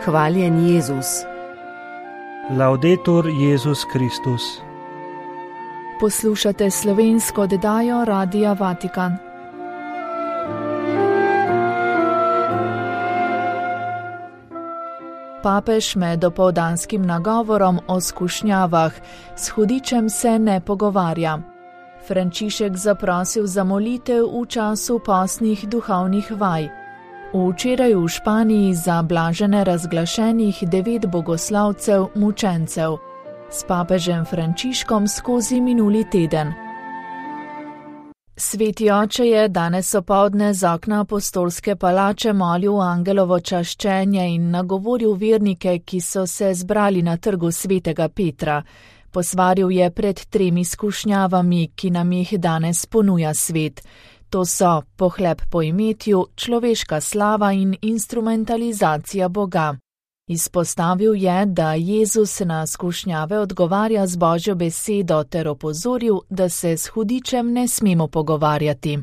Hvaljen Jezus. Laudetur Jezus Kristus. Poslušate slovensko oddajo Radia Vatikan. Papež med dopoldanskim nagovorom o skušnjavah s hudičem se ne pogovarja. Frančišek zaprosil za molitev v času postnih duhovnih vaj. Včeraj v Španiji za blažene razglašenih 9 bogoslovcev mučencev. S papežem Frančiškom skozi minuli teden. Sveti oče je danes opoldne z okna apostolske palače molil angelovo čaščenje in nagovoril vernike, ki so se zbrali na trgu svetega Petra. Posvaril je pred 3 skušnjavami, ki nam jih danes ponuja svet. To so pohleb po imetju, človeška slava in instrumentalizacija Boga. Izpostavil je, da Jezus na skušnjave odgovarja z Božjo besedo ter opozoril, da se s hudičem ne smemo pogovarjati.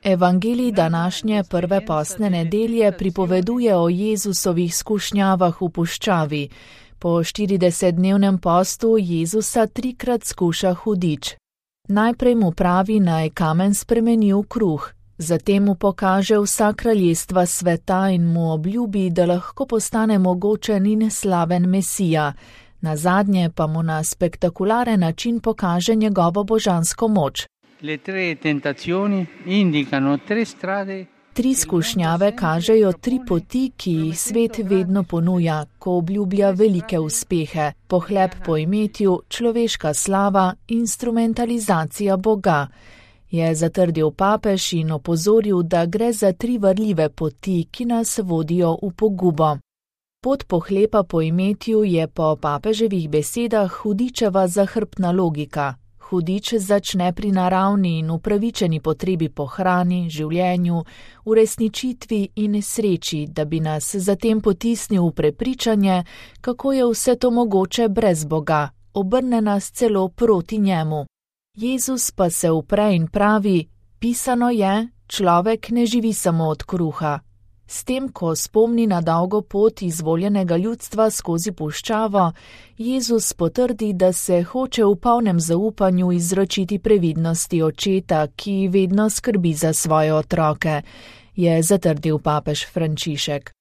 Evangelij današnje prve postne nedelje pripoveduje o Jezusovih skušnjavah v puščavi. Po 40-dnevnem postu Jezusa 3-krat skuša hudič. Najprej mu pravi, naj kamen spremeni v kruh. Zatem mu pokaže vsa kraljestva sveta in mu obljubi, da lahko postane mogočen in slaven Mesija. Nazadnje pa mu na spektakularen način pokaže njegovo božansko moč. 3 skušnjave kažejo 3 poti, ki jih svet vedno ponuja, ko obljublja velike uspehe. Pohleb po imetju, človeška slava, instrumentalizacija Boga. Je zatrdil papež in opozoril, da gre za 3 varljive poti, ki nas vodijo v pogubo. Pot pohlepa po imetju je po papeževih besedah hudičeva zahrbtna logika. Hudič začne pri naravni in upravičeni potrebi po hrani, življenju, uresničitvi in sreči, da bi nas zatem potisnil v prepričanje, kako je vse to mogoče brez Boga, obrne nas celo proti njemu. Jezus pa se upre in pravi, pisano je, človek ne živi samo od kruha. S tem, ko spomni na dolgo pot izvoljenega ljudstva skozi puščavo, Jezus potrdi, da se hoče v polnem zaupanju izročiti previdnosti očeta, ki vedno skrbi za svoje otroke, je zatrdil papež Frančišek.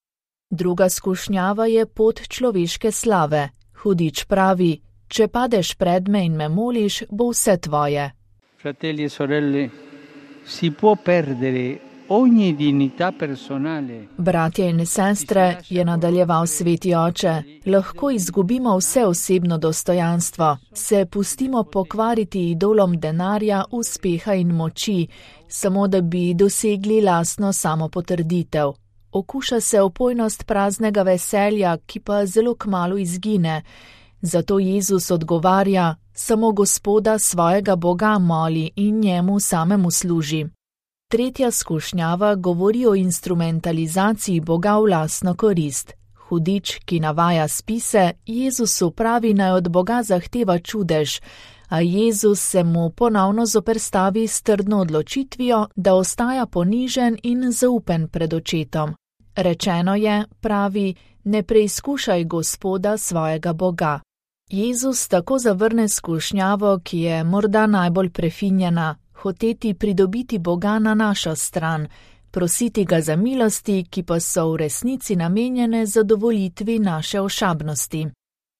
Druga skušnjava je pot človeške slave. Hudič pravi, če padeš pred me in me moliš, bo vse tvoje. Fratelli e sorelle, si può perdere ogni dignità personale. Bratje in sestre, je nadaljeval sveti oče, lahko izgubimo vse osebno dostojanstvo, se pustimo pokvariti idolom denarja, uspeha in moči, samo da bi dosegli lastno samopotrditev. Okuša se opojnost praznega veselja, ki pa zelo kmalu izgine. Zato Jezus odgovarja, samo Gospoda svojega Boga moli in njemu samemu služi. Tretja skušnjava govori o instrumentalizaciji Boga v lastno korist. Hudič, ki navaja spise, Jezusu pravi, naj od Boga zahteva čudež, a Jezus se mu ponovno zoperstavi s trdno odločitvijo, da ostaja ponižen in zaupen pred očetom. Rečeno je, pravi, ne preizkušaj Gospoda svojega Boga. Jezus tako zavrne skušnjavo, ki je morda najbolj prefinjena, hoteti pridobiti Boga na našo stran, prositi ga za milosti, ki pa so v resnici namenjene zadovoljitvi naše ošabnosti.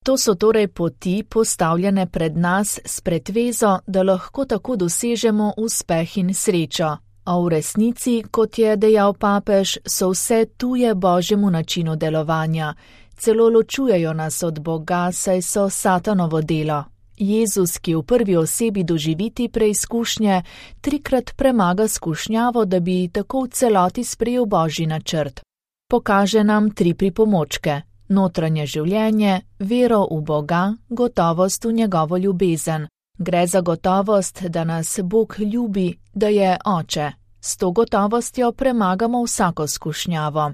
To so torej poti postavljene pred nas s pretvezo, da lahko tako dosežemo uspeh in srečo. A v resnici, kot je dejal papež, so vse tuje Božjemu načinu delovanja. Celo ločujejo nas od Boga, saj so satanovo delo. Jezus, ki v prvi osebi doživiti preizkušnje, 3-krat premaga skušnjavo, da bi tako v celoti sprejel Božji načrt. Pokaže nam 3 pripomočke: notranje življenje, vero v Boga, gotovost v njegovo ljubezen. Gre za gotovost, da nas Bog ljubi, da je Oče. S to gotovostjo premagamo vsako skušnjavo.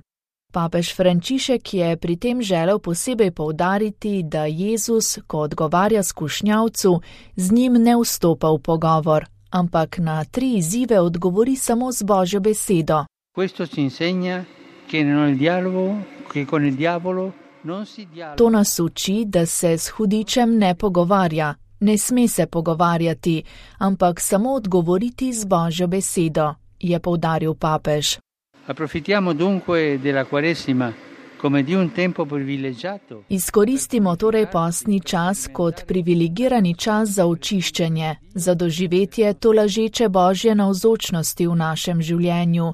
Papež Frančišek je pri tem želel posebej poudariti, da Jezus, ko odgovarja skušnjavcu, z njim ne vstopa v pogovor, ampak na 3 izzive odgovori samo z Božjo besedo. Questo ci insegna che nel dialogo, che con il diavolo non si dialoga. To nas uči, da se s hudičem ne pogovarja, ne sme se pogovarjati, ampak samo odgovoriti z Božjo besedo, je poudaril papež. Approfittiamo dunque della Quaresima come di un tempo privilegiato. Izkoristimo torej postni čas kot privilegirani čas za očiščenje, za doživetje tolažeče Božje navzočnosti v našem življenju,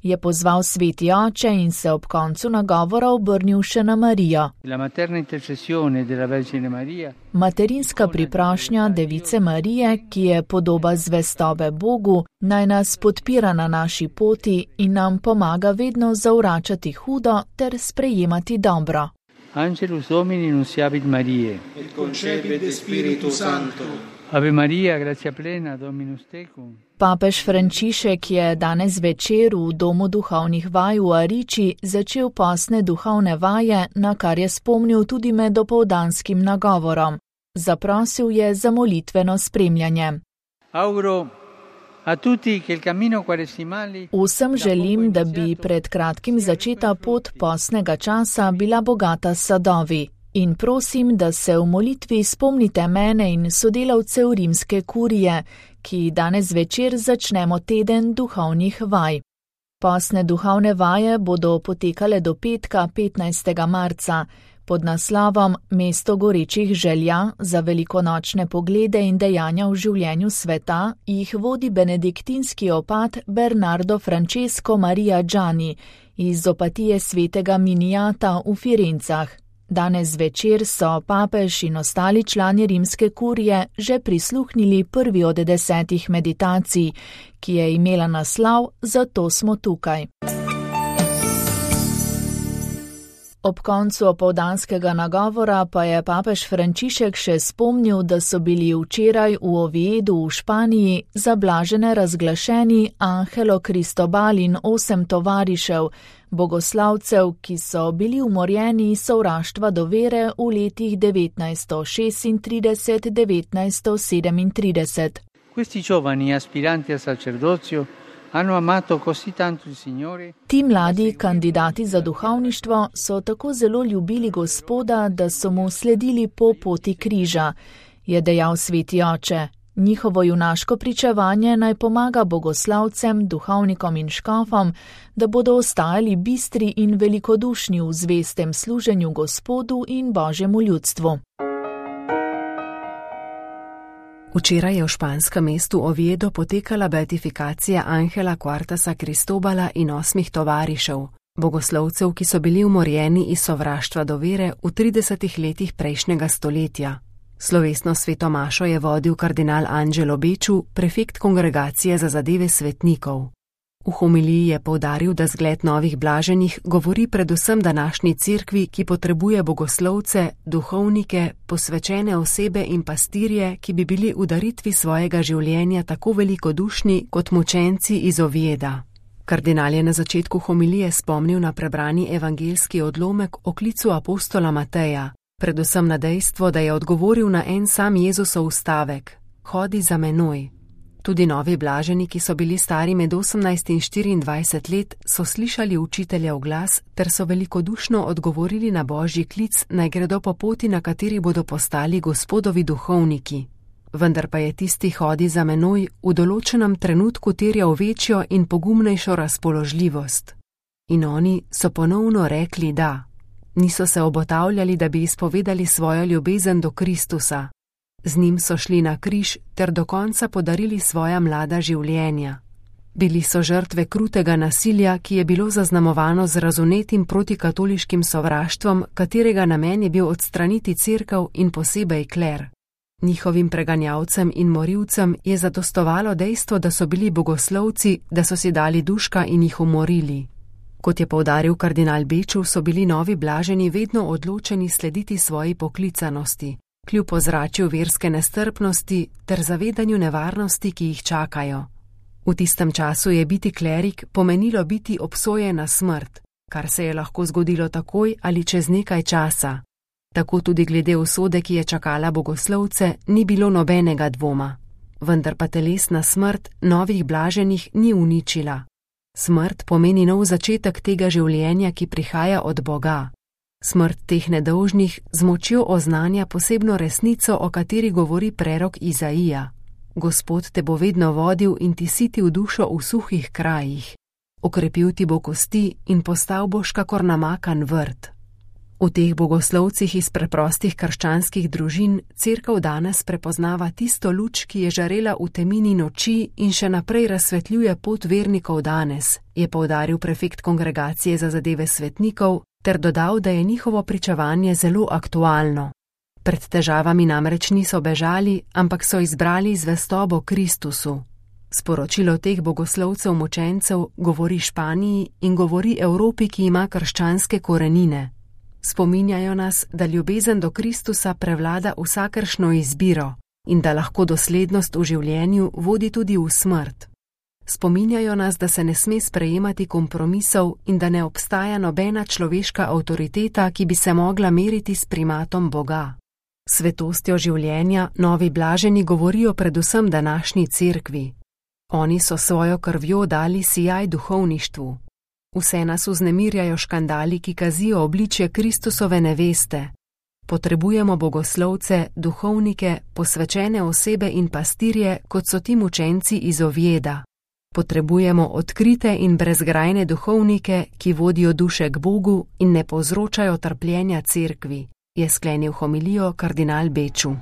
je pozval Sveti Oče in se ob koncu nagovora obrnil še na Marijo. La materna intercessione della Vergine Maria. Materinska priprošnja Device Marije, ki je podoba zvestobe Bogu, naj nas podpira na naši poti in nam pomaga vedno zavračati hudo ter sprejemati dobro. Angelus Domini nunciavit Mariae. Et concepit Spiritus Sancto. Ave Maria, gratia plena, Dominus tecum. Papež Frančišek je danes večer v domu duhovnih vaj v Ariči začel postne duhovne vaje, na kar je spomnil tudi med dopoldanskim nagovorom. Zaprosil je za molitveno spremljanje. Auguro a tutti che il cammino quaresimale. Vsem želim, da bi pred kratkim začeta pot postnega časa bila bogata s sadovi. In prosim, da se v molitvi spomnite mene in sodelavcev rimske kurije, ki danes večer začnemo teden duhovnih vaj. Postne duhovne vaje bodo potekale do petka 15. marca pod naslovom Mesto gorečih želja za velikonočne poglede in dejanja v življenju sveta jih vodi benediktinski opat Bernardo Francesco Maria Gianni iz opatije svetega Minijata v Firencah. Danes večer so papež in ostali člani rimske kurije že prisluhnili prvi od 10 meditacij, ki je imela naslov Zato smo tukaj. Ob koncu opoldanskega nagovora pa je papež Frančišek še spomnil, da so bili včeraj v Oviedu v Španiji zablažene razglašeni Angelo Cristobal in 8 tovarišev, bogoslavcev, ki so bili umorjeni iz sovraštva do vere v letih 1936-1937. Questi giovani aspiranti al sacerdozio hanno amato così tanto il Signore. Ti mladi kandidati za duhovništvo so tako zelo ljubili Gospoda, da so mu sledili po poti križa, je dejal Sveti Oče. Njihovo junaško pričevanje naj pomaga bogoslavcem, duhovnikom in škofom, da bodo ostajali bistri in velikodušni v zvestem služenju Gospodu in Božjemu ljudstvu. Včeraj je v španskem mestu Oviedo potekala beatifikacija Angela Quartasa Cristobala in 8 tovarišev, bogoslovcev, ki so bili umorjeni iz sovraštva do vere v 30 letih prejšnjega stoletja. Slovesno sveto mašo je vodil kardinal Angelo Becciu, prefekt kongregacije za zadeve svetnikov. V homiliji je poudaril, da zgled novih blaženih govori predvsem današnji cerkvi, ki potrebuje bogoslovce, duhovnike, posvečene osebe in pastirje, ki bi bili v daritvi svojega življenja tako velikodušni kot mučenci iz Ovieda. Kardinal je na začetku homilije spomnil na prebrani evangeljski odlomek o klicu apostola Mateja, predvsem na dejstvo, da je odgovoril na en sam Jezusov stavek: Hodi za menoj. Tudi novi blaženi, ki so bili stari med 18 in 24 let, so slišali učiteljev glas ter so velikodušno odgovorili na Božji klic, naj gredo po poti, na kateri bodo postali Gospodovi duhovniki. Vendar pa je tisti hodi za menoj v določenem trenutku terjal večjo in pogumnejšo razpoložljivost. In oni so ponovno rekli da. Niso se obotavljali, da bi izpovedali svojo ljubezen do Kristusa. Z njim so šli na križ ter do konca podarili svoja mlada življenja. Bili so žrtve krutega nasilja, ki je bilo zaznamovano z razunetim protikatoliškim sovraštvom, katerega namen je bil odstraniti cerkev in posebej kler. Njihovim preganjavcem in morilcem je zadostovalo dejstvo, da so bili bogoslovci, da so si dali duška in jih umorili. Kot je poudaril kardinal Becciu, so bili novi blaženi vedno odločeni slediti svoji poklicanosti, kljub ozračju verske nestrpnosti ter zavedanju nevarnosti, ki jih čakajo. V tistem času je biti klerik pomenilo biti obsojen na smrt, kar se je lahko zgodilo takoj ali čez nekaj časa. Tako tudi glede usode, ki je čakala bogoslovce, ni bilo nobenega dvoma. Vendar pa telesna smrt novih blaženih ni uničila. Smrt pomeni nov začetek tega življenja, ki prihaja od Boga. Smrt teh nedolžnih z močjo oznanja posebno resnico, o kateri govori prerok Izaija. Gospod te bo vedno vodil in ti sitil dušo v suhih krajih. Okrepil ti bo kosti in postal boš kakor namakan vrt. V teh bogoslovcih iz preprostih krščanskih družin Cerkev danes prepoznava tisto luč, ki je žarela v temini noči in še naprej razsvetljuje pot vernikov danes, je poudaril prefekt Kongregacije za zadeve svetnikov, ter dodal, da je njihovo pričevanje zelo aktualno. Pred težavami namreč niso bežali, ampak so izbrali zvestobo Kristusu. Sporočilo teh bogoslovcev mučencev govori Španiji in govori Evropi, ki ima krščanske korenine. Spominjajo nas, da ljubezen do Kristusa prevlada vsakršno izbiro in da lahko doslednost v življenju vodi tudi v smrt. Spominjajo nas, da se ne sme sprejemati kompromisov in da ne obstaja nobena človeška avtoriteta, ki bi se mogla meriti s primatom Boga. Svetostjo življenja novi blaženi govorijo predvsem današnji cerkvi. Oni so svojo krvjo dali sijaj duhovništvu. Vse nas vznemirjajo škandali, ki kazijo obličje Kristusove neveste. Potrebujemo bogoslovce, duhovnike, posvečene osebe in pastirje, kot so ti mučenci iz Ovjeda. Potrebujemo odkrite in brezgrajne duhovnike, ki vodijo duše k Bogu in ne povzročajo trpljenja cerkvi, je sklenil homilijo kardinal Beču.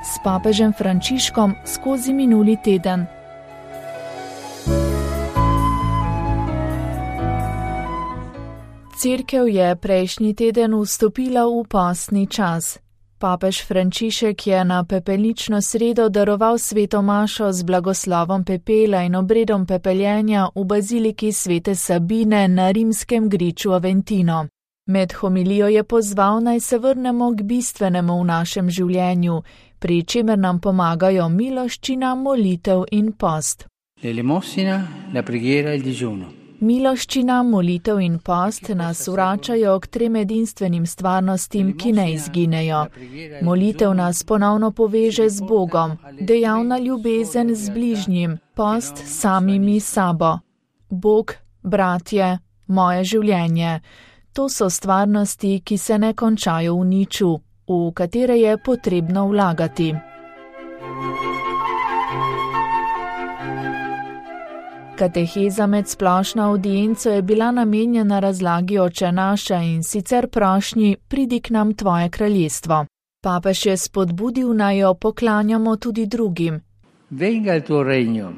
S papežem Frančiškom skozi minuli teden. Cerkev je prejšnji teden vstopila v postni čas. Papež Frančišek je na pepelnično sredo daroval sveto mašo z blagoslovom pepela in obredom pepeljenja v baziliki svete Sabine na rimskem griču Aventino. Med homilijo je pozval, naj se vrnemo k bistvenemu v našem življenju, pri čemer nam pomagajo miloščina, molitev in post. L'elemosina, la preghiera, il digiuno. Miloščina, molitev in post nas vračajo k trem edinstvenim stvarnostim, ki ne izginejo. Molitev nas ponovno poveže z Bogom, dejavna ljubezen z bližnjim, post samimi sabo. Bog, bratje, moje življenje. To so stvarnosti, ki se ne končajo v niču, v katere je potrebno vlagati. Kateheza med splošno avdienco je bila namenjena razlagi Oče naša in sicer prošnji pridi k nam tvoje kraljestvo. Papež je spodbudil, naj jo poklanjamo tudi drugim. Venga il tuo regno.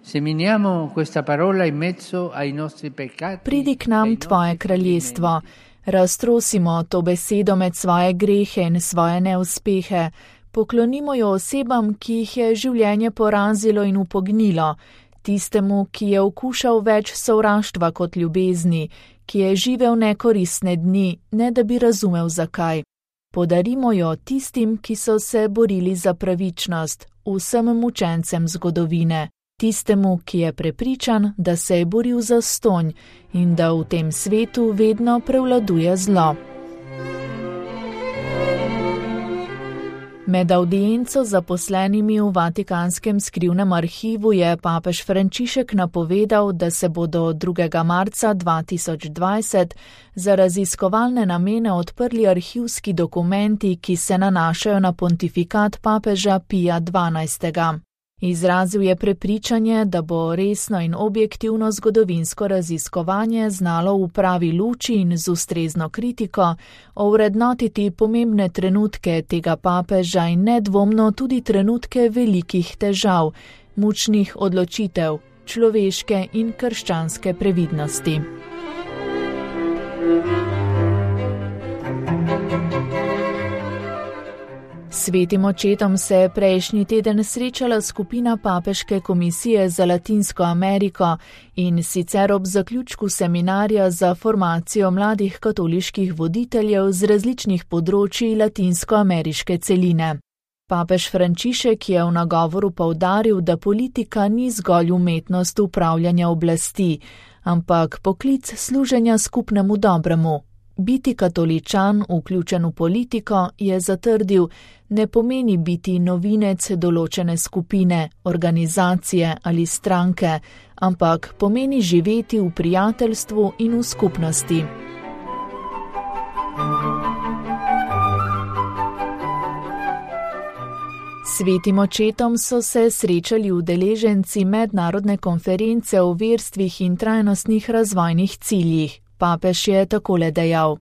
Seminiamo questa parola in mezzo ai nostri peccati. Pridi k nam tvoje kraljestvo. Raztrosimo to besedo med svoje grehe in svoje neuspehe. Poklonimo jo osebam, ki jih je življenje porazilo in upognilo. Tistemu, ki je okušal več sovraštva kot ljubezni, ki je živel nekoristne dni, ne da bi razumel zakaj. Podarimo jo tistim, ki so se borili za pravičnost, vsem mučencem zgodovine, tistemu, ki je prepričan, da se je boril za stonj in da v tem svetu vedno prevladuje zlo. Med avdienco zaposlenimi v Vatikanskem skrivnem arhivu je papež Frančišek napovedal, da se bodo 2. marca 2020 za raziskovalne namene odprli arhivski dokumenti, ki se nanašajo na pontifikat papeža Pija XII. Izrazil je prepričanje, da bo resno in objektivno zgodovinsko raziskovanje znalo v pravi luči in z ustrezno kritiko ovrednotiti pomembne trenutke tega papeža in nedvomno tudi trenutke velikih težav, mučnih odločitev, človeške in krščanske previdnosti. Svetim očetom se je prejšnji teden srečala skupina Papeške komisije za Latinsko Ameriko in sicer ob zaključku seminarja za formacijo mladih katoliških voditeljev z različnih področij latinskoameriške celine. Papež Frančišek je v nagovoru poudaril, da politika ni zgolj umetnost upravljanja oblasti, ampak poklic služenja skupnemu dobremu. Biti katoličan, vključen v politiko, je zatrdil, ne pomeni biti novinec določene skupine, organizacije ali stranke, ampak pomeni živeti v prijateljstvu in v skupnosti. Svetim očetom so se srečali udeleženci mednarodne konference o verstvih in trajnostnih razvojnih ciljih. Papež je takole dejal: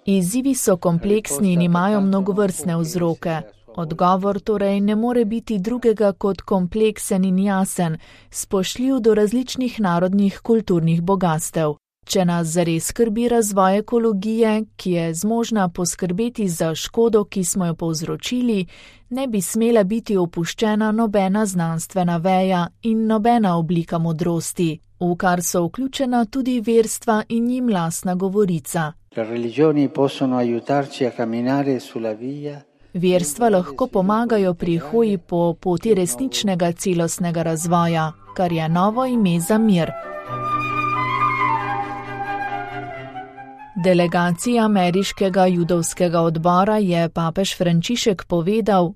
Izzivi so kompleksni in imajo mnogovrstne vzroke. Odgovor torej ne more biti drugega kot kompleksen in jasen, spoštljiv do različnih narodnih kulturnih bogastev. Če nas zares skrbi razvoj ekologije, ki je zmožna poskrbeti za škodo, ki smo jo povzročili, ne bi smela biti opuščena nobena znanstvena veja in nobena oblika modrosti, v kar so vključena tudi verstva in njim lastna govorica. Verstva lahko pomagajo pri hoji po poti resničnega celostnega razvoja, kar je novo ime za mir. Delegaciji ameriškega judovskega odbora je papež Frančišek povedal: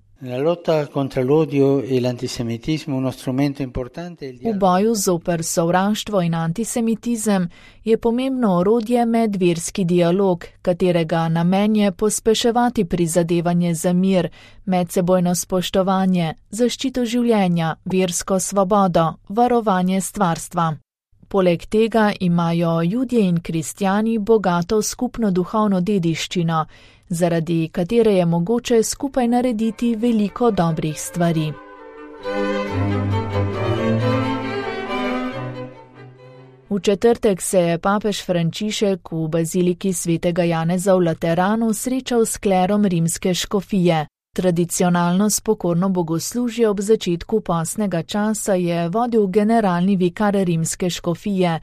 V boju zoper sovraštvo in antisemitizem je pomembno orodje medverski dialog, katerega namen je pospeševati prizadevanje za mir, medsebojno spoštovanje, zaščito življenja, versko svobodo, varovanje stvarstva. Poleg tega imajo Judje in kristjani bogato skupno duhovno dediščino, zaradi katere je mogoče skupaj narediti veliko dobrih stvari. V četrtek se je papež Frančišek v baziliki svetega Janeza v Lateranu srečal s klerom rimske škofije. Tradicionalno spokorno bogoslužje ob začetku postnega časa je vodil generalni vikar rimske škofije.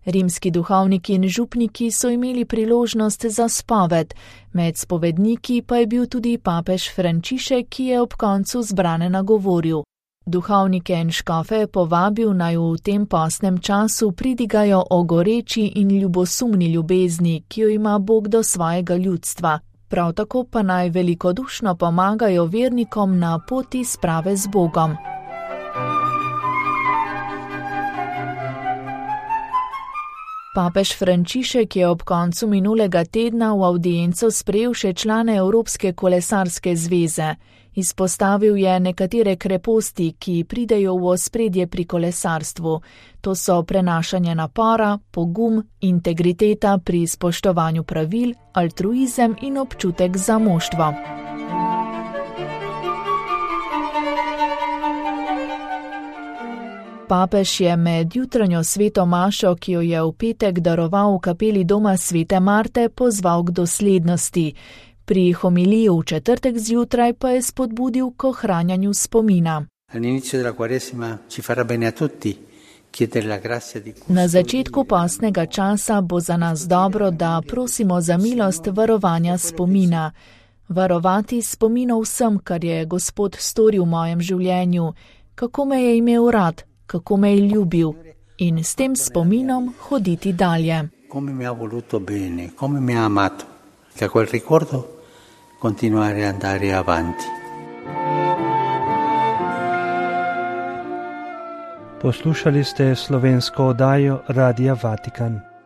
Rimski duhovniki in župniki so imeli priložnost za spoved, med spovedniki pa je bil tudi papež Frančišek, ki je ob koncu zbrane nagovoril. Duhovnike in škofe je povabil, naj v tem postnem času pridigajo o goreči in ljubosumni ljubezni, ki jo ima Bog do svojega ljudstva. Prav tako pa naj velikodušno pomagajo vernikom na poti sprave z Bogom. Papež Frančišek je ob koncu minulega tedna v avdienco sprejel še člane Evropske kolesarske zveze. Izpostavil je nekatere kreposti, ki pridejo v ospredje pri kolesarstvu. To so prenašanje napora, pogum, integriteta pri spoštovanju pravil, altruizem in občutek za moštvo. Papež je med jutranjo sveto mašo, ki jo je v petek daroval v kapeli doma svete Marte, pozval k doslednosti. Pri homiliji v četrtek zjutraj pa je spodbudil k ohranjanju spomina. Na začetku postnega časa bo za nas dobro, da prosimo za milost varovanja spomina. Varovati spomino vsem, kar je Gospod storil v mojem življenju, kako me je imel rad, kako me je ljubil in s tem spominom hoditi dalje. Come mi ha voluto bene, come mi ha amato. Da quel ricordo continuare ad andare avanti. Poslušali ste slovensko oddajo Radia Vatikan.